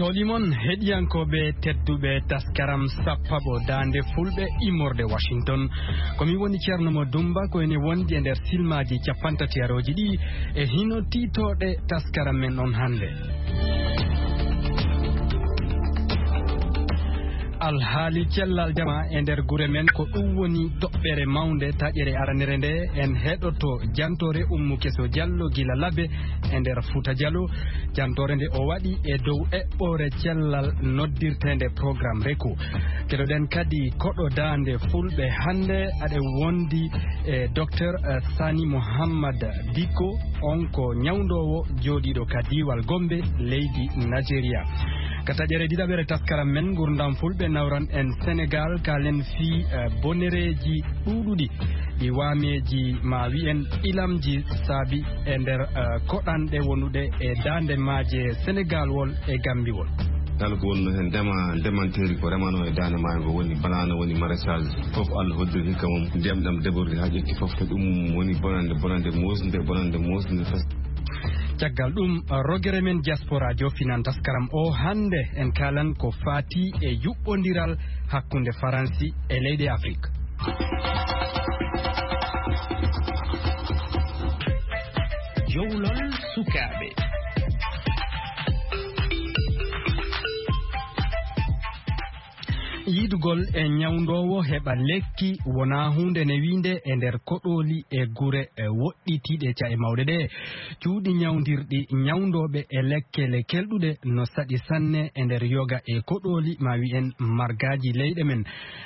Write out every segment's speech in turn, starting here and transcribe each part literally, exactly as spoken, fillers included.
Toɗi mon heɗiyankooɓe tedduɓe taskaram sappaɓo daande fulɓe immorde Washington. Ko mi woni Ceerno mo Dumba, ko ene wondi e nder silmaaji capantati arooji ɗi e hino tiitooɗe taskaram men on hannde. Alhaali cellal jama e nder gure men, ko ɗum woni toɓɓere mawnde taƴere aranere nde. En heɗoto jantoore Ummu Keso Jallo gila Labe e nder Fuuta Jallo. Jantoore nde o waɗi e dow eɓɓoore cellal noddirteende programme Reko. Keɗoɗen kadi koɗo daande fulɓe hannde, aɗe wondi e Docteur Sani Mohammad Dikko, on ko ñawndoowo jooɗiiɗo ka diiwal Gombe, leydi Nigeria. Ka taƴere ɗiɗaɓere taskaram men ngurdam fulɓe, nawran en Senegal, kaalen fii, eh, bonereeji ɗuuɗuɗi ɗi waameeji, ma wi'en ilamji, saabi e nder, eh, koɗanɗe wonuɗe e daande maaje Senegal wol e Gambi wol. Kala ko wonno heen ndema, ndemanteeri ko remano e daande maayo ngo woni banana, woni maraîchage. Fof Allah hoddiri hikka mum, ndiyam ɗam débordé haa ƴetti fof. Ko ɗum woni bonande, bonande moosnde, bonande moosnde fes. Caggal ɗum, rogere men diaspora jofinan taskaram o hannde, en kaalan ko faati e yuɓɓondiral hakkunde Faransi e leyɗe Afrik. Jowlol sukaaɓe. Yiɗugol e ñawndoowo heɓa lekki wonaa huunde newiinde e nder koɗooli e gure, e, woɗɗitiiɗe ca'e mawɗe ɗe. Cuuɗi ñawndirɗi ñawndooɓe e lekkele kelɗuɗe no saɗi sanne e nder yoga e koɗooli, ma wi'en margaaji leyɗe men.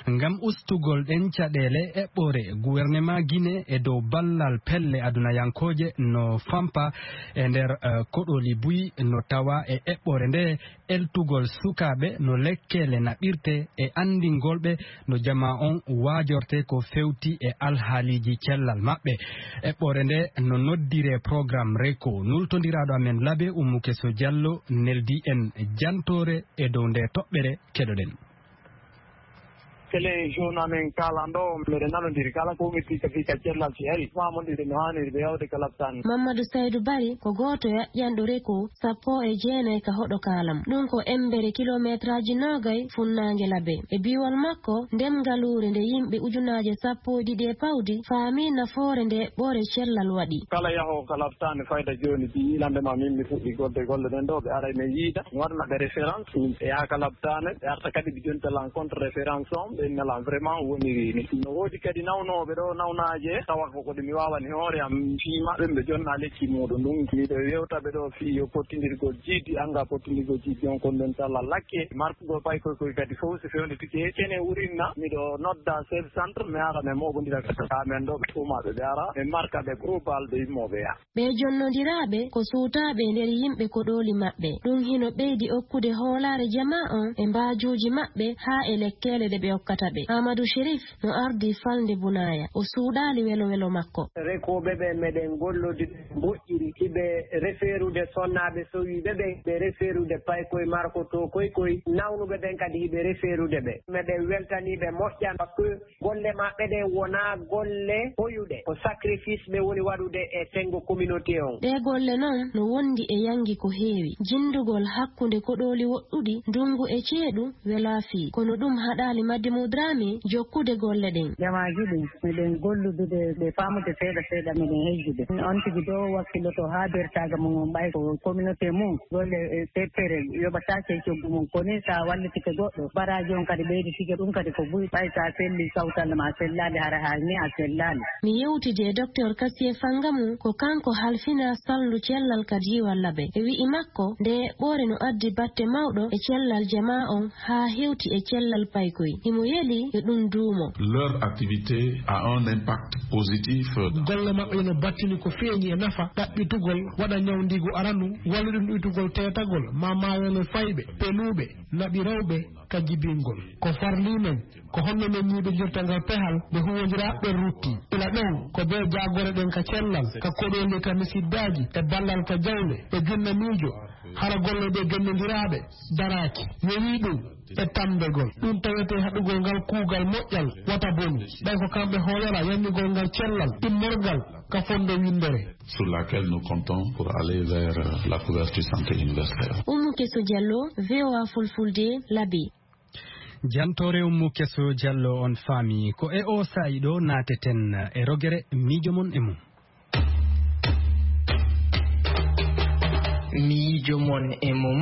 Ngam ustugol ɗen caɗeele, eɓɓoore gouvernement Guinée e dow ballal pelle adunayankooje no fampa e nder, eh, koɗooli buy no tawa e eɓɓoore nde. Eltugol sukaaɓe no lekkele naɓirte e anndingol ɓe no jamaa on waajorte ko fewti e alhaaliiji cellal maɓɓe. Eɓɓoore nde no noddiree programme Reko. Nultondiraaɗo amen Labe, Ummu Keso Jallo, neldi en jantoore e dow nde toɓɓere. Keɗoɗen. Télé Jaune amen kaalan ɗo, meɗen nanondiri kala ko ummiti ka fii ka cellal si ari, faamondire no haaniri ɓe yawde ka labtaani. Mamadou Saydou Bari ko gooto e ƴanɗo Reko sappo e jeenayi ka hoɗo kaalam. Ɗum ko embere kilometraaji noogay funnaange Labe. E biiwal makko, ndem ngaluure nde yimɓe ujunaaje sappo e ɗiɗi e pawdi faami nafoore nde eɓɓoore cellal waɗi. Kala yahoowo ka labtaani fayda jooni, si yiilande ma min mi fuɗɗi golle, golle ɗen ɗo, ɓe aray men yiida, mi waɗana ɓe référence, ɗum ɓe yaha ka labtaani, ɓe arta kadi ɓe jonta lan contre référence on, ɓe inna lan vraiment woniri ni. No woodi kadi nawnooɓe ɗo nawnaaje, tawa ko ko ɗi mi waawani hoore am fii maɓɓe, ɓe jonna lekki muuɗum. Ɗum miɗo yewta ɓe ɗo fii yo pottindirgol jiidi, anga pottindirgol jiidi on, kon ɗon talla lakke, markugol paykoy koy kadi fof si fewnditike, kene wurinna, miɗo nodda chef centre, mi ara mi moɓondira ka men ɗo, ɓe tuumaaɓe ɓe ara, mi marka ɓe groupe alɓe immooɓe ya. Ɓee jonnondiraaɓe ko suutaaɓe e nder yimɓe koɗooli maɓɓe. Ɗum hino ɓeydi okkude hoolaare jamaa on e mbaajuuji maɓɓe haa e lekkeele ɗe ɓe okkata ɓe. Amadou Chérif no ardii falnde Bunaaya. O suuɗaali welo welo makko. Rekooɓe ɓe meɗen gollodiri moƴƴiri, hiɓe refeerude sonnaaɓe sowiiɓe ɓe, ɓe refeerude paykoy markotoo koy koy, nawnuɓe ɓen kadi hiɓe refeerude ɓe. Meɗen weltanii ɓe moƴƴan, parce que golle maɓɓe ɗen wonaa golle hoyuɗe, ko sacrifice ɓe woni waɗude e senngo communauté on. Ɗee golle non no wondi e yanngi ko heewi. Jinndugol hakkunde koɗooli woɗɗuɗi, ndunngu e ceeɗu, welaa fii. Kono ɗum haɗaali Madimou Dramé jokkude golle ɗen. Jamaaji ɗin, miɗen golludude ɓe faamude seeɗa seeɗa, miɗen hejjude. On tigi ɗo wakkiloto haa bertaaga mum on, ɓay ko communauté mum. Golle, e, teppere yoɓataake e coggu mum. Ko ni, sa wallitike goɗɗo, baraaji on kadi ɓeyditike, ɗum kadi ko buy. Ɓay sa selli kawtal ma sellaali, hara haa ni a sellaali. Mi yewtidi e Docteur Kassié Fangamou, ko kanko halfinaa salndu cellal ka diiwal Labe. E wi'i makko, nde eɓɓoore no addi batte mawɗo e cellal jamaa on haa hewti e cellal paykoy. Himo yeli yo ɗum duumo. Leur activité a un impact positif. Golle maɓɓe no battini ko feeñi e nafa, ɗaɓɓitugol, waɗa ñawndiigu arandu, wallude ɗum ɗuytugol teetagol, ma maayole fayɓe, penuuɓe, naɓi rewɓe, ka jibingol. Ko farli men, ko honno men ñiiɓindirta ngal pehal nde huwwondiraa ɓen rutti. Ila ɗon, ko bee jaagore ɗen ka cellal, ka koɗooli, ka misiddaaji, e ballal ka jawnde, e junna miijo, hara golle ɗe gennondiraaɓe daraaki. Yowii ɗum e tammbegol. Ɗum tawetee haɗugol ngal kuugal moƴƴal wata bonu. Ɓay ko kamɓe hoolora yanñugol ngal cellal immorgal ka fondo winndere. Sur laquelle nous comptons pour aller vers, euh, la couverture santé universelle. Umu Keso Diallo, V O A Fulfulde, Labe. Jantoore ummu Keso Diallo on faami. Ko e o saa'i ɗo naateten e rogere miijo mon e mum. Miijo mon e mum.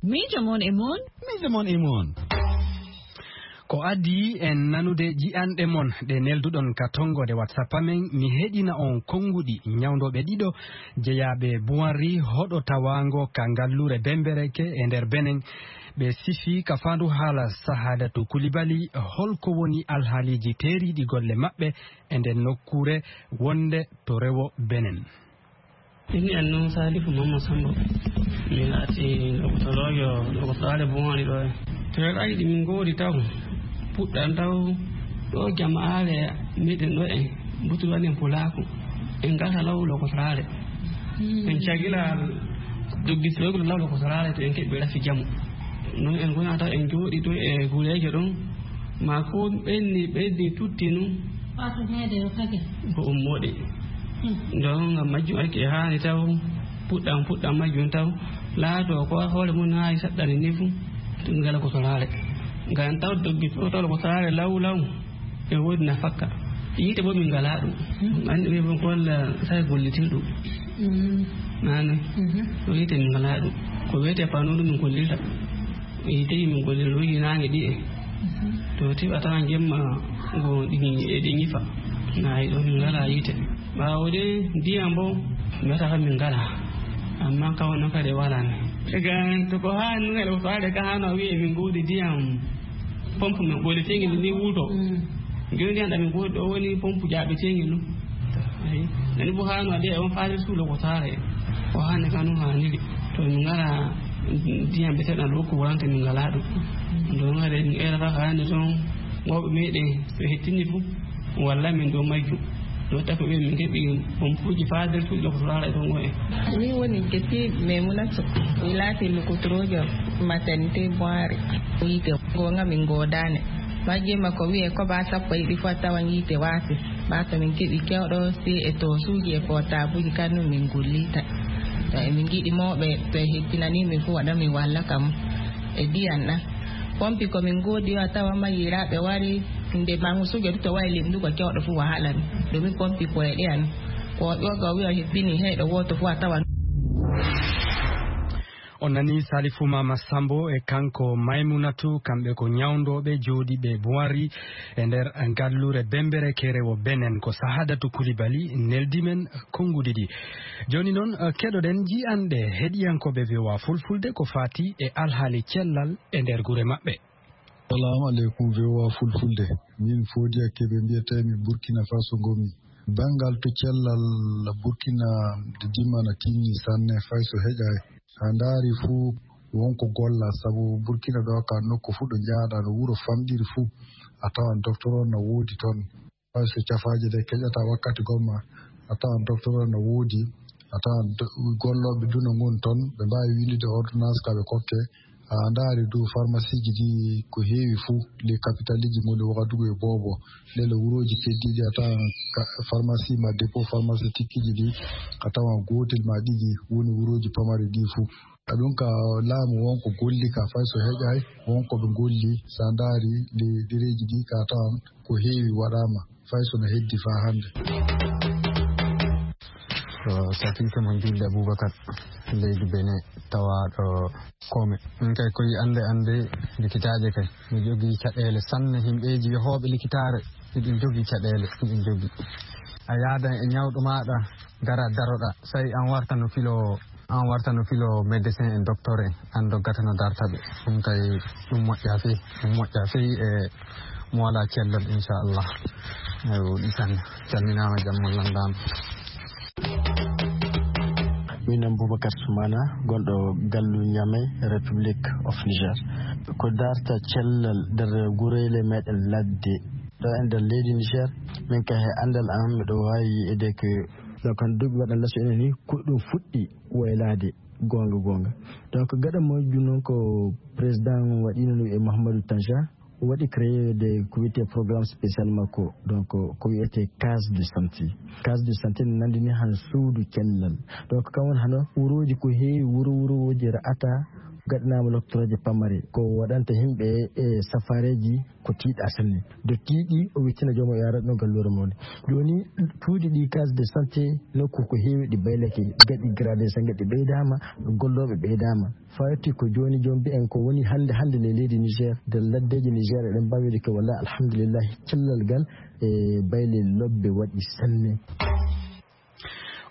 Miijo mon e mum. Miijo mon e mum. Ko adii en nanude ji'anɗe mon ɗe nelduɗon ka tonngode WhatsApp amen, mi heɗina on konnguɗi ñawndooɓe ɗiɗo jeyaaɓe Buwanri, hoɗo tawaango ka ngalluure Bembereke e nder Benen. Ɓe sifi ka faandu haala Sahadatu Kulibali, holko woni alhaaliiji teeriiɗi golle maɓɓe e nden nokkuure wonde to rewo Benen. Inni an noon Salifu Mamma Sambo. Mi laati lokotoroojo lokotoraare Bumaari ɗo e. To en ari ɗi min ngoodi taw. Puɗɗan taw ɗo jamaare meɗen ɗo e. Butu waɗen pulaaku. En gasa law lokotoraare. En cagila doggistirogol law lokotoraare to en keɓɓi rafi jamu. Noon en gona taw en jooɗi to e gureejo ɗon. Ma ko ɓenni ɓenni tutti nun. Wato meede yo kake. Ko ummoɗe. Don ngam majjum ake haani taw. Puɗɗam puɗɗam majjum taw. Laato ko hoore mun haani saɗɗani ni fu. Ngala ko soraare. Ngam taw doggi to taw ko soraare law law. E wodi na fakka. Yiite bo min ngala ɗum. Anndi ɓe bon ko walla sai gollitirɗum. Nane. Ko yiite min ngala ɗum. Ko wiyete pano ɗum min gollirta. Yiite min gollirta ɗum yinaange ɗi'e. To tiɓa tawan jemma go ɗi eɗi ñifa. Nayi ɗo min ngala yiite. Ɓaawo de ndiyam bo mi wata kam min ngala. Amma ka wonno kadi wala ni. Ega to ko haa nungel o faade ka hano wi'e min godi ndiyam. Pompe men ɓoyleteengel ni wuto. Joni ndiyam ɗam min godi ɗo woni pompe jaaɓeteengel ɗum. Ayi. Nani bo hano ade on faade suulo ko saare. Ko hande kanu haniri. To min ngala ndiyam ɓe seɗan ɗo ko wuranta min ngala ɗum. Ɗo ngare min era ka hande ton. Wawɓe meɗen so hettini fu. Walla min ɗo majju. Ɗo tafi ɓe min keɓi pompuji faa nder suuɗi ɗo ko turaara e ɗon o en. Min woni Geti Memunatu. Mi laati lokotoroojo maternité Boire. Yiite goonga min goodaani. Majjima ko wi'e ko baa sappo e ɗiɗi fof a tawan yiite waasi. Baa to min keɓi kewɗo si e to suuji e portabuji kanum min gullita. To emin ngiɗi mawɓe to e hettinani min fof waɗa min walla kam e diyan ɗan. Pompi ko min goodi yo a tawa ma yiraaɓe wari. Nde mangu suujo du to wayi limdugo kewɗo fu wahala ni. Domin pompi ko e ɗeya ni. Ko ƴoga wiya hebbini heyɗo woto fu a tawan. On nani Salifu Mama Sambo e kanko Maimunatu, kamɓe ko ñawndooɓe jooɗiiɓe Buwari e nder ngallure Bembere Kerewo Benen. Ko Sahadatu Kulibali neldi men konnguɗi ɗi. Jooni noon, eh, keɗoɗen ji'anɗe heɗiyankooɓe V O A Fulfulde ko faati e alhaali cellal e nder gure maɓɓe. Assalamu alaikum V O A Fulfulde. Min Fodiya Kebe mbiyetee mi Burkina Faso ngomi. Banngal to cellal Burkina de dimana tinni sanne fay so heƴaay. A ndaari fuu wonko golla sabu Burkina ɗo ka nokku fuu ɗo njahɗa no wuro famɗiri fuu a tawan docteur on na woodi ton. Fay so cafaaje ɗe keƴata wakkati gomma a tawan docteur on na woodi a tawan do- gollooɓe duna ngon ton ɓe mbaawi windude ordonnance ka ɓe kokke. A ndaari du pharmacie ji ɗi ko heewi fuu les capitale ji ngoni Wagadugu e Bobo. Lele wurooji keddiiɗi a tawan ka- pharmacie ma dépôt pharmaceutique ji ɗi a tawan gootel ma ɗiɗi woni wurooji pamari ɗi fuu. A ɗum ka laamu won ko golli ka fay so heƴaay won ko ɓe golli sa ndaari les dereeji ɗi ka tawan ko heewi waɗaama. Fay so no heddi faa hannde. Ko Safika mo Julde Abubakar, leydi Bene, tawaaɗo Kome. Min kay koyi annde annde likitaaje kay. Mi jogii caɗeele sanne, himɓeeji yehooɓe likitaare, hiɗin jogii caɗeele, hiɗin jogii. A yaada e ñawɗo maaɗa, gara daroɗa, sai an warta no filo An warta no filo médecin en docteur en an doggata no darta ɓe. Ɗum kay ɗum moƴƴa fey, ɗum moƴƴa fey e mo wala cellal inchallah. Eyi o ɗisan calminama jammo landama. Min am Boubacar Soumana, gonɗo gallu Niamey, Republic of Niger. Ko darta cellal nder gureele meɗen ladde ɗo e nder leydi Niger. Min kay he andal am miɗo wawi yi'ede ke. Donc hande duuɓi waɗan laso ene ni ko ɗum fuɗɗi waylaade. Goonga goonga. Donc gaɗa majjum noon ko président waɗino ɗum e Mahamadou Tanja. O waɗi créeweede ko wiyetee programme spécial makko, donc ko wiyetee case de santé. Case de santé ne nanndini hano suudu cellal. Donc kam woni hano wurooji ko heewi, wuro wurooji ra'ata gaɗanaama lottorooje pamare, ko waɗanta yimɓe e safareeji ko tiiɗa sanne. Do tiiɗi o wittina joom o yaara ɗo galluure mawni. Jooni tuuɗi ɗi case de santé nokku ko heewi ɗi baylake, gaɗi gradé sange ɗi ɓeydaama, gollooɓe ɓeydaama. Fawti ko jooni joom mbiyen ko woni hannde hannde le leydi Niger, nder laddeeji Niger eɗen mbaawi wiide ko walla alhamdulillahi cellal ngal e bayle lobbe waɗi sanne.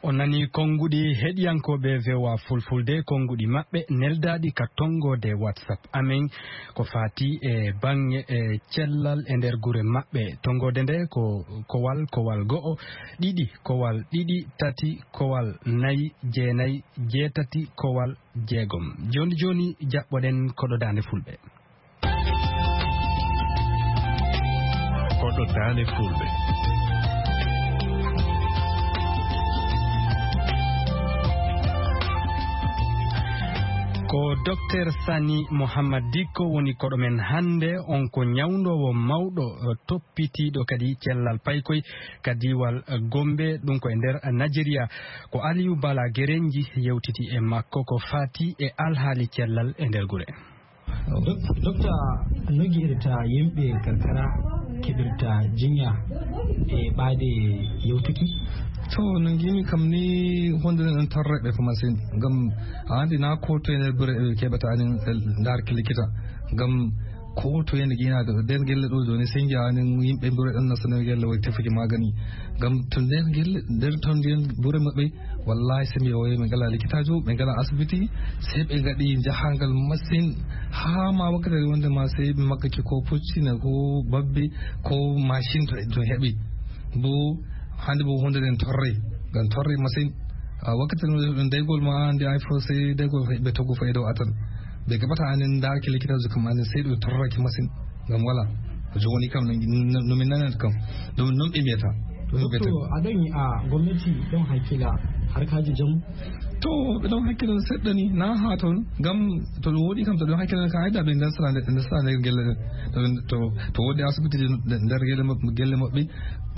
On nani konnguɗi heɗiyankooɓe V O A Fulfulde, konnguɗi maɓɓe neldaaɗi ka tonngoode WhatsApp amen ko faati e baŋŋe e cellal e nder gure maɓɓe. Tonngoode nde ko kowal, kowal go'o, ɗiɗi, kowal ɗiɗi, tati, kowal nayi, jeenayi, jeetati, kowal jeegom. Jooni jooni jaɓɓoɗen koɗo daande fulɓe. Koɗo daande fulɓe. Ko Docteur Sani Mohammad Dikko woni koɗo men hannde. On ko ñawndoowo mawɗo, eh, toppitiiɗo kadi cellal paykoy ka diiwal, eh, Gombe, ɗum ko e nder, eh, Najeriya. Ko Aliyu Bala Gerenji yewtiti e makko ko faati e alhaali cellal e nder gure. Dok- Dokta, no ngi'irta yimɓe karkara keɓirta jinya e ɓaade yewtuki? To, no ngiimi kam ni, hondude en torreɓe ko masin. Ngam a andi na ko to en bure e keɓata anin, eh, ndarki likita. Ngam ko to en gina ɗo, nder gelle ɗo jooni, sen ngi'a anin yimɓe bure ɗon nasta nder gelle way tefuki magani. Ngam to nder gelle, nder ton nden bure maɓɓe, wallahi, se mi oye, ɓe ngala likitaajo, ɓe ngala asibiti, se ɓe ngaɗi jahangal masin, haa ma wakkati wonde ma se ɓe makkaki ko puccina, ko babbe, ko machine to, to heɓi. Bo hande bo hunde nden torre, ngam torre masin. A wakkati no ɗum daygol ma andi ay fo se daygol ɓe togo faydo atan. Ɓe gaɓata anin ndaaki likitaajo kam anin se ɗum torraki masin. Ngam wala. Ko jogoni kam no, no, no min nanata kam. Ɗum non ɓe mbiyata. Ɗum ɓe Doktor, mbiyata. A ɗon yi'a gomnati ɗon hakkila harkaaji jamu? To, ɓe ɗon hakkila seɗɗa ni, na haa ton. Ngam to ɗum woɗi kam, to ɗum hakkila ka ayda ɓe ndesra nde, ndesra nde gelle ɗen. To, to, to woɗi asibiti nder gelle maɓɓe, gelle maɓɓe,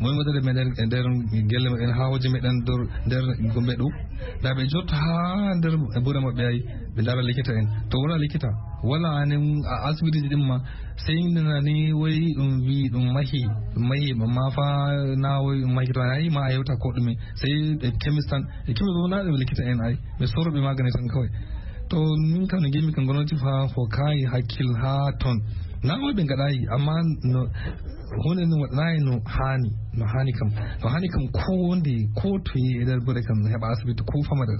moy waɗata meɗen e nder gelle maɓɓe, en haa hoje meɗen nder, nder gombe ɗo. Da ɓe jotto haa nder bure maɓɓe ay, ɓe ndara likita en. To wala likita, wala anen a asibitiji ɗin ma, sey nana ni woy ɗum wi ɗum mahi, ɗum mahi, ma fa na woy ɗum mahi to ay ma a hewta ko ɗume. Sey e kemis tan, e kemis bo na ɗum likita en ay. Ɓe soro ɓe magani tan kawai. To min kam no gimi kan gonoti fa ko kayi hakkil ha ton. Na woy ɓe ngaɗayi, amma no hunde no waɗanayi no hani, no hani kam. No hani kam ko wonde ko to yi e nder bure kam heɓa asibiti ko famata.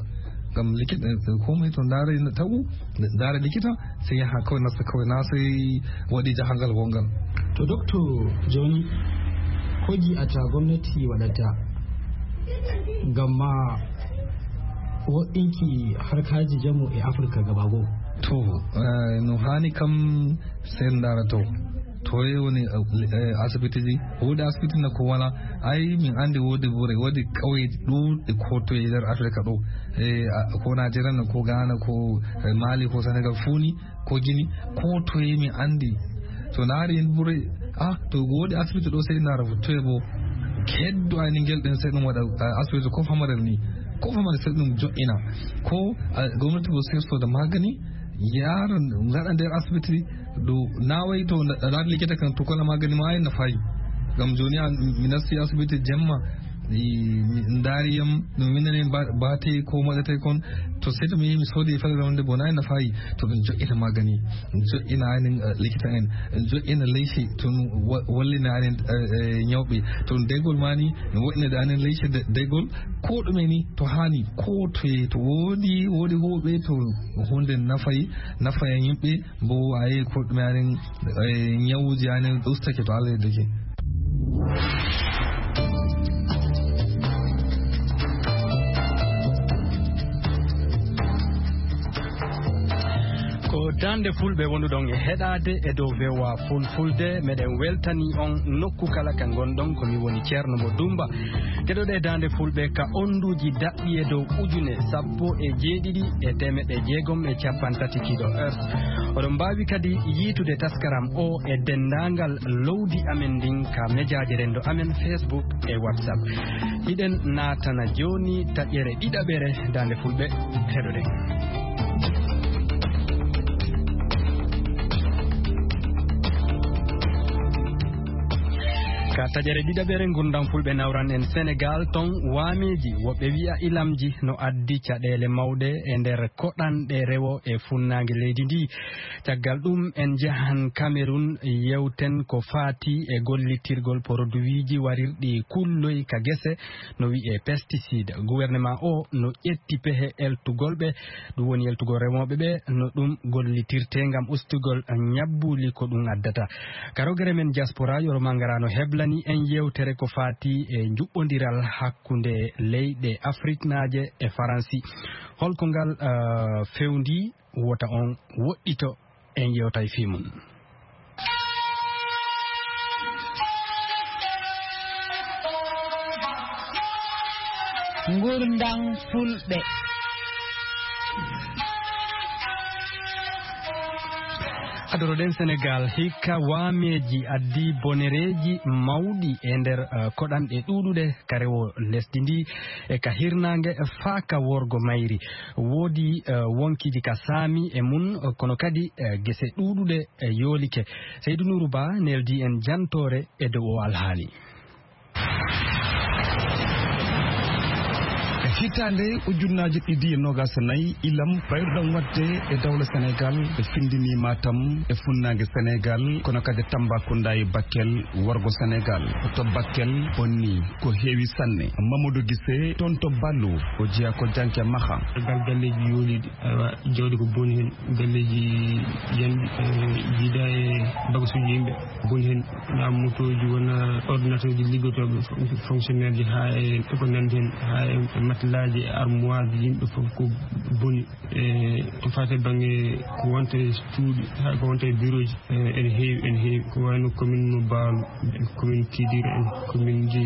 Ngam likita, eh, komai to ndaara ina tagu, ndaara likita, sai ya haka kawai nasta kawai na sai waɗi jahangal wongal. To doktor, joni ko gi'ata gomnati waɗata ngam ma woɗɗinki harkaaji jamu e Afirka gaba goo? To, eh, no hani kam sai ndaara to. Toye woni, eh, asibitiji? Wodi asibiti na ko wala. Ai min andi wodi bure, wodi kauye ɗuɗɗe ko to e nder Afirka ɗo. Eh, a, ko Najeriya na, ko Ghana, ko, eh, Mali, ko Senegal, funi, ko Gini, ko toye min andi. To naari en bure, ah, to wodi asibiti ɗo sai naara toye bo. Keddo ani ngel ɗen sai ɗum waɗa, ah, asibiti ko famarel ni. Ko famarel sai ɗum jo'ina. Ko, ah, gomnati bo sai soda magani, yara ngaɗa nder asibiti ɗo nawai to laati likita kan to kola magani ma en na fayi. Ngam joni an mi nasti asibiti jemma, mi, mi ndari yam, no winani ba-, bate ko moɗete kon, to sai to mi, mi sodi e fadara wonde bona en na fayi, to ɗum jo'ina magani, ɗum jo'ina anin, eh, likita en, ɗum jo'ina leysi, to ɗum wa-, wallina anin, eh, eh, nyawɓe, to ɗum daygol mani, mi wo'ina da anin leysi de-, daygol, ko ɗume ni, to hani, ko to, to wodi, wodi hoɓe, to hunde nafai, nafai yimɓe, bo ayi ko ɗume anin, eh, nyawuji anin ustake to Allah yeddake. Ko Daande Fulɓe wonduɗon e heɗaade e dow V O A Fulfulde. Meɗen weltani on nokku kala ka ngonɗon. Ko mi woni Ceerno Mo Dumba. Keɗoɗe Daande Fulɓe ka onduuji daɓɓi e dow ujune sappo e jeeɗiɗi e teemeɗɗe jeegom e capanɗe tati kilohertz. Oɗon mbaawi kadi yiitude taskaram o e denndaangal lowdi amen ndin ka mejaaji renndo amen Facebook e WhatsApp. Hiɗen naatana jooni taƴere ɗiɗaɓere Daande Fulɓe. Heɗoɗen. Ka taƴere ɗiɗaɓere, ngurndan Fulɓe nawran en Senegaal, ton waameeji woɓɓe wi'a ilamji no addi caɗeele mawɗe e nder koɗanɗe rewo e funnaange leydi ndi. Caggal ɗum, en njahan Kamerun, yewten ko faati e gollitirgol poroduwiiji warirɗi kulloy ka gese, no wi'ee pesticide. Gouvernement o no ƴetti pehe eltugol ɓe, ɗum woni eltugol remooɓe ɓe, no ɗum gollitirtee ngam ustugol ñabbuuli ko ɗum addata. Ka rogere men diaspora, Yoro Mangara no heblani en yewtere ko faati e njuɓɓondiral hakkunde leyɗe afriknaaje e Faransi. Holko ngal, eh, fewndi? Wota on woɗɗito, en yewtay fii mum. Ngurndan Fulɓe. Adoroɗen Senegaal, hikka waameeji addi bonereeji mawɗi e nder, eh, koɗanɗe ɗuuɗuɗe ka rewo lesdi ndi e ka hirnaange faa ka worgo mayri. Woodi, eh, wonkiiji ka saami e mun, eh, kono kadi, eh, gese ɗuuɗuɗe, eh, yoolike. Seydu Nuuru Ba neldi en jantoore e dow o alhaali. E hitaande ujunnaaji ɗiɗi e noogaas e nayi, ilam bayruɗam waɗde e dawla Senegaal, ɓe findini Matam e funnaange Senegaal, kono kadi Tambacounda e Bakel worgo Senegaal. To Bakel bonni ko heewi sanne. Mamadou Gissé, toon to Ballo, o jeyaa ko janke maha. Gal galleeji yooliiɗi, awa, jawdi ko boni heen, galleeji yanɗi, eh, jiida e bagasuuji yimɓe, boni heen, na motooji, wona ordinateur ji liggotooɓe, fon-, fonctionnaire ji, haa e ko nanndi heen, haa e matelas ji, e armoire ji, yimɓe fof ko boni. E ko faati e bannge ko wonta e cuuɗi, haa ko wonta e bureau ji, e ene heewi, ene heewi. Ko wayno commune mo Baalu, commune Kidira en, commune ji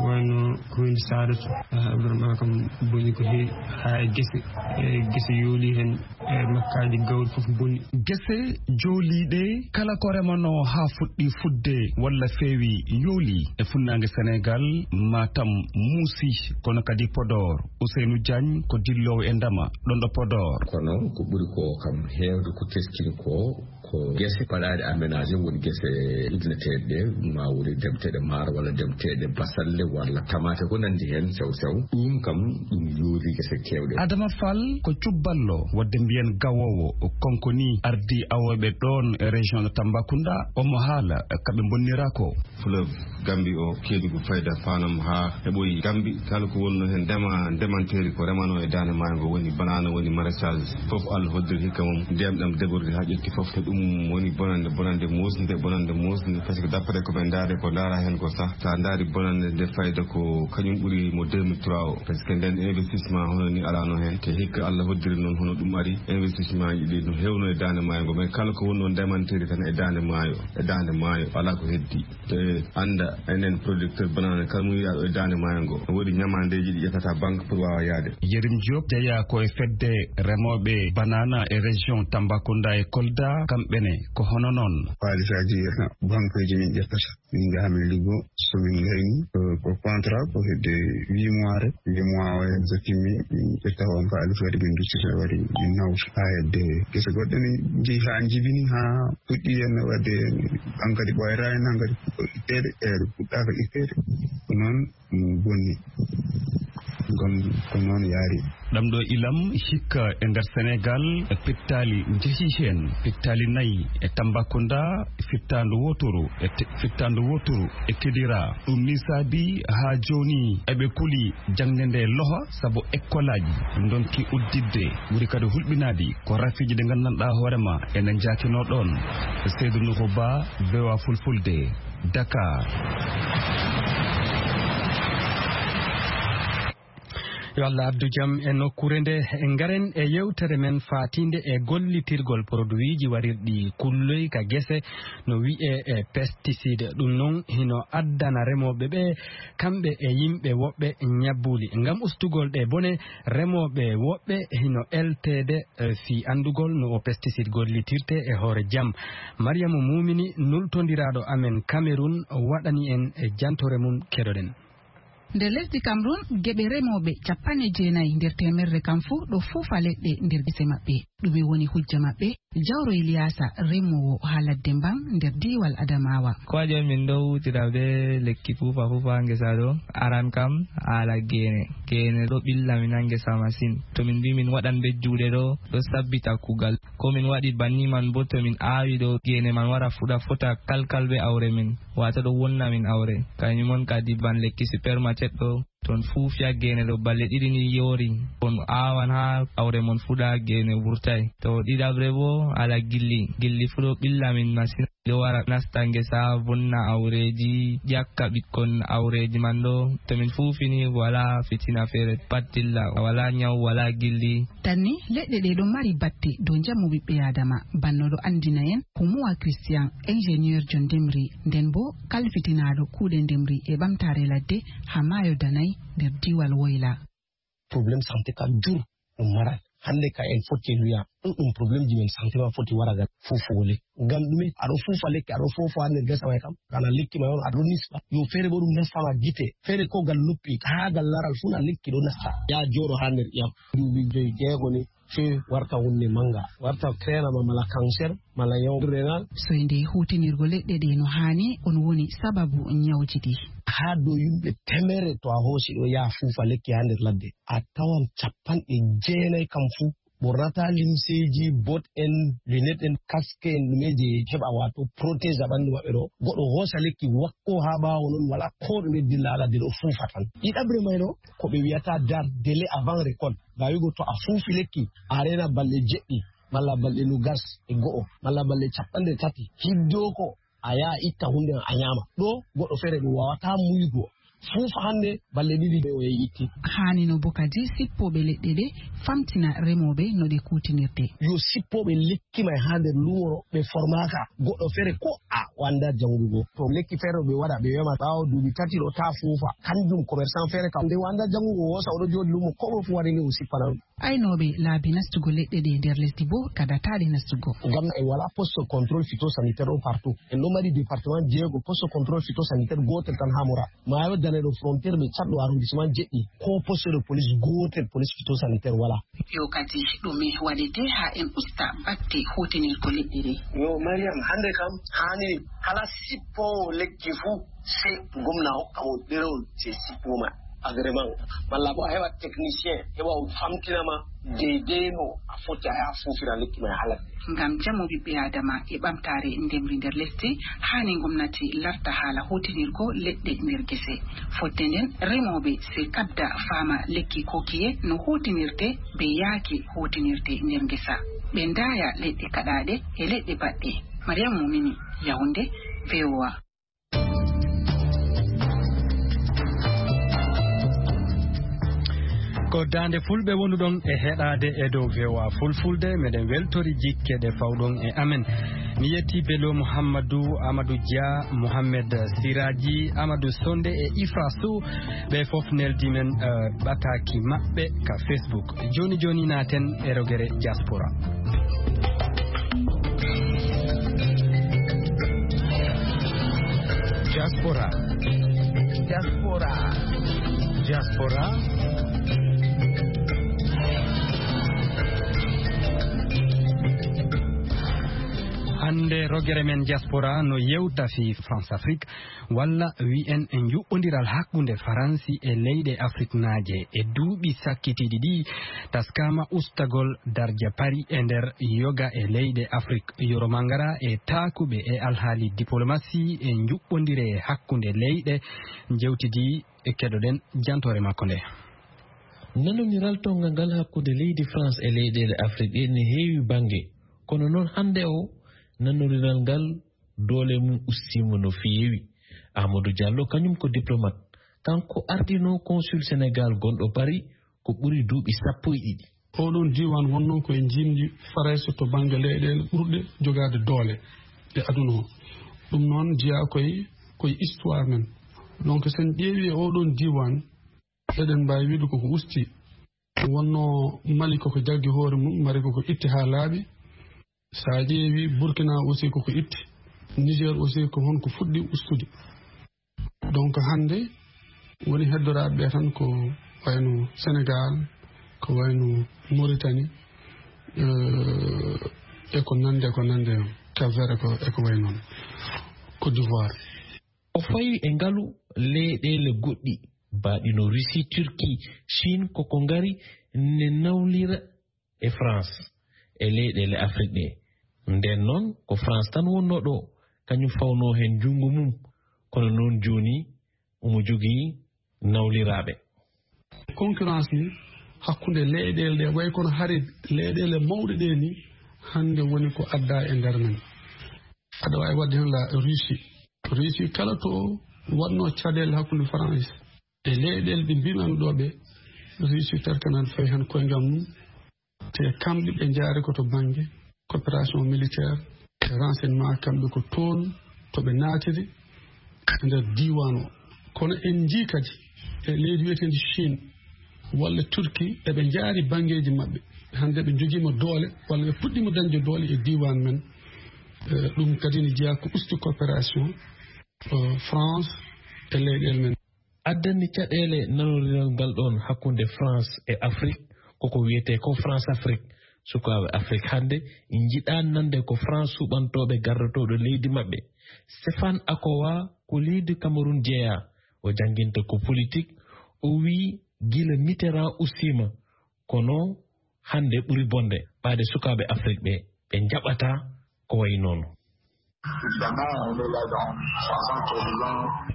wayno commune Saadatu, ah, vraiment kam boni ko heewi, haa e gese, e gese yooli heen, e makkaaji gawri fof boni. Gese jooliiɗe, kala ko remanoo haa fuɗɗi fuɗde walla feewi yooli e funnaange Senegaal, Matam muusi, kono kadi Podor. Ousseynou Diagne ko dilloowo e ndema ɗon ɗo Podor. Kono ko ɓuri ko kam heewde ko teskini ko, ko gese baɗaaɗe aménagé, woni gese ibneteeɗe ɗe, ma woni demteeɗe maaro walla demteeɗe basalle walla tamaate, ko nanndi heen sew sew. Ɗum kam, ɗum yooli gese keewɗe. Adama Fall ko cubballo, wadde mbiyen gawoowo, o konko ni ardi awooɓe ɗoon e région de Tambacounda, omo haala ka ɓe mbonnira ko. Fleuve Gambie o, keedi ko fayda fanam haa heɓoyi Gambie, kala ko wonno heen ndema, ndemanteeri ko remanoo e daande maayo ngo, woni banana, woni maraîchage, fof Allah hoddiri hikka mum, ndiyam ɗam débordé haa ƴetti fof. Ko ɗum woni bonande, bonande muusnde, bonande muusnde, parce que d'après ko ɓe ndaari, ko ndaara heen ko sah, so a ndaari bonande nde fayda ko kañum ɓuri mo deux mille trois o, parce que nden investissement hono ni alaano heen, te hikka Allah hoddiri noon hono ɗum ari, investissement ji ɗi no heewno e daande maayo ngo, mais kala ko wonno ndemanteeri tan e daande maayo, e daande maayo, alaa ko heddi. Te annda, enen producteur banana, kala mo wiya ɗo e daande maayo ngo, no woodi ñamaandeeji ɗi ƴettata banque pour waawa yaade. Yerim Diop jeyaa ko e fedde remooɓe banana e région Tambacounda e Kolda, kamɓe ne ko hono noon. Haalisaaji banqueeji min ƴettata, min njaha min liggo, so min ngayni, ko, ko contrat, ko hedde huit mois rek, huit mois o, so timmi, min ƴetta on haalis, waɗi min duttita, waɗi min nawta. Haa hedde gese goɗɗe ne njehi haa njibini, haa puɗɗi heen waɗde, hankadi ɓooyata heen, hankadi fuɗɗo itteede, eeɗo fuɗɗaaka itteede. Ko noon ɗum bonni. Ngam ko noon yaari. Ɗam ɗo ilam hikka e nder Senegaal, e pittaali njehi heen, pittaali nayi e Tambacounda, fittaandu wooturu e te-, fittaandu wooturu e Kidira. Ɗum ni saabi haa jooni eɓe kuli jaŋde nde loha, sabu ekkolaaji ndonki udditde. Ɓuri kadi hulɓinaade ko rafiiji ɗi nganndanɗaa hoore ma ene njaakinoo ɗoon. Seydou Nourou Ba, V O A Fulfulde, Dakar. Yo Allah addu jam e nokkuure nde. Ngaren e yewtere men faatiinde e gollitirgol produiiji warirɗi kulloy ka gese, no wi'ee e pesticide. Ɗum noon hino addana remooɓe ɓe, kamɓe e yimɓe woɓɓe, ñabbuuli. Ngam ustugol ɗe bone, remooɓe woɓɓe hino elteede, eh, fii anndugol no o pesticide gollitirte e hoore jam. Mariama Mumini, nultondiraaɗo amen Cameroun, waɗani en e jantoore mum, keɗoɗen. Nder lesdi Cameroun, geɓe remooɓe capanɗe jeenayi nder teemerre kam fuu ɗo fuufa leɗɗe nder gese maɓɓe. Ɗume woni hujja maɓɓe? Jawro Iliyaasa, remoowo haa ladde Mban nder diiwal Adamawa. Ko waɗi on min ɗo huutira bee lekki fuufa fuufa haa ngesa ɗo? Aran kam, haala geene. Geene ɗo ɓilla min haa ngesa masin. To min mbii min waɗan bee juuɗe ɗo, ɗo sabbita kuugal. Ko min waɗi banni man boo, to min aawi ɗo, geene man wara fuɗa fota kalkal bee awre min, waato ɗo wonna min awre. Kanjum on kadi ban lekki supermarket ɗo, to on fuufi haa geene ɗo balɗe ɗiɗi ni yoori, on aawan haa awre mon fuɗa, geene wurtay. To ɗiɗaɓre boo, haala gilli. Gilli fuu ɗo ɓilla min masin. Ɗo wara nasta ngesa, vonna awreeji, ƴakka ɓikkon awreeji man ɗo. To min fuufi ni, walaa fitina feere pat dilla, walaa nyaw, walaa gilli. Tan ni, leɗɗe ɗe ɗon mari batte dow njamu ɓiɓɓe Aadama. Banno ɗo anndina en Humuwa Christian, ingénieur jo ndemri, nden boo kalfitinaaɗo kuuɗe ndemri e ɓamtaare ladde haa maayo Danay nder diiwal Woyla. Problème santé ka dur ɗum maran. Hannde ka en foti en wi'a ɗuɗɗum problème ji men santé ma foti wara ga fuufugo lekki. Ngam ɗume? Aɗo fuufa lekki, aɗo fuufa haa nder gesa may kam. Kana lekki may on aɗo nisba. Yo feere bo ɗum nasta ma gite. Feere ko gal noppi, haa gal laral fuu na lekki ɗo nasta. Ya jooɗo haa nder ƴam. Duuɓi joy jeego ni, sey warta hunde mannga. Warta kreenama mala cancer, mala nyaw renal. Soyde huutinirgo leɗɗe ɗe no haani, on woni sababu nyawji ɗi. Haa dow yimɓe temerre to a hoosi ɗo yaha fuufa lekki haa nder ladde. A tawan capanɗe jeenayi kam fuu ɓornata limseeji, bot en, lunet en, kaske en, ɗume je heɓa waato protège a ɓandu maɓɓe ɗo. Goɗɗo hoosa lekki wakko haa ɓaawo non wala ko ɗume dilla haa ladde ɗo fuufa tan. Ɗiɗaɓre may ɗo, ko ɓe wi'ata date délai avant récolte. Ngam wi'ugo to a fuufi lekki, a reena balɗe jeɗɗi, malla balɗe nogas e go'o, malla balɗe capanɗe tati. Hiddeko a yaha itta hunde a nyaama. Ɗo goɗɗo feere ɗum waawata muygo. Fuufa hannde, balɗe ɗiɗi o yahi itti. Haani no bo kadi sippooɓe leɗɗe ɗe famtina remooɓe no ɗe kuutinirte. Yo sippooɓe lekki may haa nder luumo ɗo, ɓe formaka. Goɗɗo feere ko a wanda janngugo. To lekki feere ɓe waɗa, ɓe wema ɓaawo duuɓi tati ɗo ta fuufa. Kanjum commerçant feere kam nde wanda janngugo, o hoosa o ɗo jooɗi luumo, ko ɗo fu waɗi ni o sippana ɗum. Aynooɓe laabi nastugo leɗɗe ɗe nder lesdi bo kaɗataɗe nastugo. Ngam en wala poste contrôle phytosanitaire ɗo partout. En ɗo mari département jeego, poste contrôle phytosanitaire gootel tan haa Mora. Maayo Dane ɗo frontière be Tchad ɗo arrondissement jeɗɗi. Ko poste de police gootel, police phytosanitaire wala. Yo kadi ɗume waɗete haa en usta batte huutinirgo leɗɗe ɗe? Yo Mariam, hannde kam haani kala sippoowo lekki fuu, sey gomna hokka mo ɗerewol, sey sippuma agrément, malla bo a heɓa technicien, heɓa o famtina ma deydey no a foti a yaha fuufira lekki ma e halat. Ngam jamu ɓiɓɓe Adama e ɓamtaare ndemri nder lesdi, haani gomnati larta haala huutinirgo leɗɗe nder gese. Fodde nden, remooɓe sey kabda faama lekki kokiye no huutinirte be yaake huutinirte nder ngesa. Ɓe ndaaya leɗɗe kaɗaaɗe e leɗɗe baɗɗe. Mariam Mumini, Yaoundé, V O A. Ko Daande Fulɓe wonuɗon e heɗaade e dow V O A Fulfulde. Meɗen weltori jikke ɗe fawɗon e amen. Mi yetti Bello Muhammadu, Amadou Dia, Mohamed Siraji, Amadou Sonde e Ifra Sow. Ɓe fof neldi men, eh, ɓataaki maɓɓe ka Facebook. Jooni jooni naaten e rogere diaspora. Diaspora. Diaspora. Diaspora. Hannde rogere men diaspora no yewta fii France Afrique, walla wi'en e njuɓɓondiral hakkunde Faransi e leyɗe Afriknaaje. E duuɓi sakkitiiɗi ɗi, taskaama ustagol darja Paris e nder yoga e leyɗe Afrik. Yoro Mangara e taakuɓe e alhaali diplomasi e njuɓɓondire hakkunde leyɗe njewtidi e keɗoɗen jantoore makko nde. Nanondiral tonga ngal hakkunde leydi France e leyɗeele Afrik ɗe ne heewi bannge, kono noon hannde o nanondiral ngal doole mum ustiima no feewi. Amadou Diallo, kañum ko diplomate. Kanko ardino consul Sénégal gonɗo Paris, ko ɓuri duuɓi sappo e ɗiɗi. Oɗon diiwaan wonnoo ko e njiimdi Farayse to bannge leyɗeele ɓurɗe jogaade doole e aduna o. Ɗum noon jeyaa koye, koye histoire men. Donc, so en ƴeewi e oɗon diiwaan, eɗen mbaawi wiide koko usti. Wonnoo Mali koko jaggi hoore mum, mari koko itti haa laaɓi. So a ƴeewi Burkina aussi koko itti. Niger aussi ko honko fuɗɗi ustude. Donc hannde woni heddoraaɓe ɓe tan ko wayno Sénégal, ko wayno Mauritanie, euh, e ko nande, ko nande Cap Vert e ko, e ko way noon. Côte d'Ivoire. O fawi e ngalu leyɗeele goɗɗi, baaɗi no Russie, Turquie, Chine, koko ngari ne nawlira e France e leyɗeele Afrique ɗe. Nden noon, ko France tan wonnoo ɗo, kañum fawnoo heen junngo mum, kono noon jooni omo jogii nawliraaɓe. Concurrence ni hakkunde leyɗeele ɗe, way kono hari leyɗeele mawɗe ɗe ni, hannde woni ko adda e nder men. Aɗa waawi waɗde heen la Russie. Russie kala to waɗnoo caɗeele hakkunde France e leyɗeele ɗe mbiimi ɗo ɓe, Russie terkanan fayi heen koyngal mum. Te kamɓe ɓe njaari ko to bannge coopération militaire e renseignement, kamɓe ko toon to ɓe naatiri e nder diiwaan o. Kono en njii kadi e leydi wiyeteendi Chine walla Turquie, eɓe njaari banngeeji maɓɓe. Hannde ɓe njogiima doole walla ɓe puɗɗiima dañde doole e diiwaan men. Eh, ɗum kadi ne jeyaa ko usti coopération, eh, France e leyɗeele men. Addani caɗeele nanondiral ngal ɗoon hakkunde France e Afrique, koko wiyetee ko France Afrique. Sukaaɓe Afrique hannde njiɗaa nande ko France suɓantooɓe gardotooɗo leydi maɓɓe. Stéphane Akowa ko leydi Cameroun jeyaa. O jannginta ko politique. O wiyi gila Mitterrand ustiima, kono hannde ɓuri bonde ɓaade sukaaɓe Afrique ɓe, ɓe njaɓataa ko wayi noon.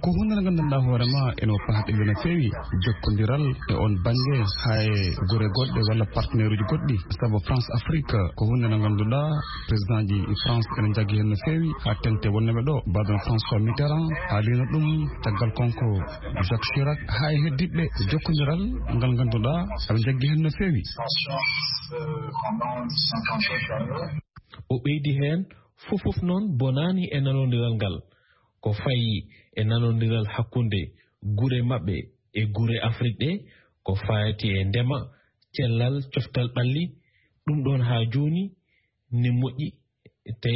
Ko huunde nde nganndanɗaa hoore ma ene pahɗe no feewi jokkondiral e on bannge haa e gure goɗɗe walla partenaire uji goɗɗi. Sabu France Afrique ko huunde nde ngannduɗaa président ji France ene njaggi heen no feewi, haa teŋti wonɓe ɗo, mbaɗen François Mitterrand, haalino ɗum, caggal kanko Jacques Chirac, haa e heddiiɓe jokkondiral ngal ngannduɗaa aɓe njaggi heen no feewi. O ɓeydi heen, fof fof noon bonaani e nanondiral ngal. Ko fayi e nanondiral hakkunde gure maɓɓe e gure Afrique ɗe, ko faati e ndema, cellal, coftal ɓalli, ɗum ɗoon haa jooni ne moƴƴi, te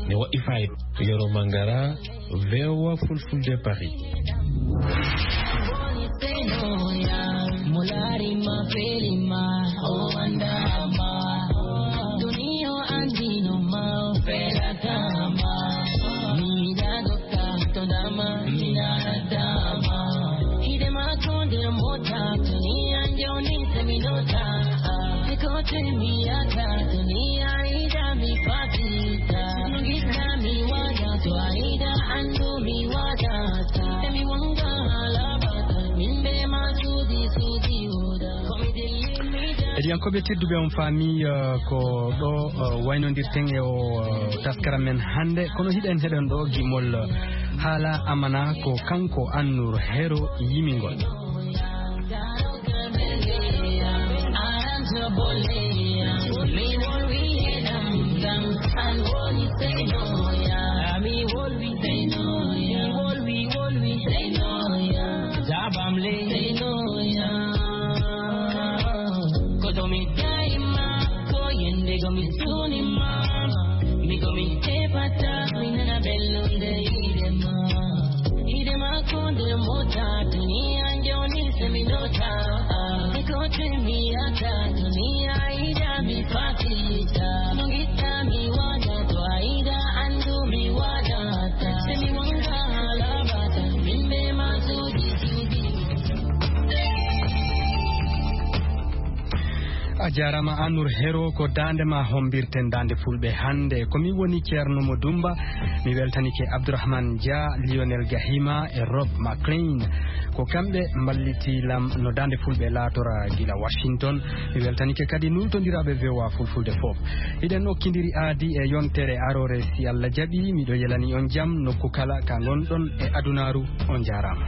ne waɗi fayda. Yoro Mangara, V O A Fulfulde, Paris. Heɗiyankooɓe tedduɓe, on faami, eh, ko ɗo, eh, waynondirten e o, eh, taskara men hannde. Kono hiɗen heɗen ɗo gimol, eh, haala amana ko kanko Annur Hero yimingol. Koto mi daima, ko yende go mi suni mama. Mi go mi tepata, mi nana bellunde ide ma. Ide ma konde mota, dunia ndio ni seminota. Ekote mi ata, dunia ida mi fatita. Nungita mi wada, to aida andu mi wada. Semi wanga halabata, mimbe masudi sudi. A jaaraama, Anur Hero, ko daande ma hombirten, daande Fulɓe hannde. Ko mi woni Ceerno Mo Dumba, mi weltanike Abdourahmane Dia, Lionel Gahima e Rob McLean. Ko kamɓe mballiti lam no daande Fulɓe laatora gila Washington. Mi weltanike kadi nultondiraaɓe V O A Fulfulde fof. Hiɗen okkindiri aadi e yontere aroore, si Allah jaɓi. Miɗo yelani on jam nokku kala ka ngonɗon e adunaaru. On jaaraama.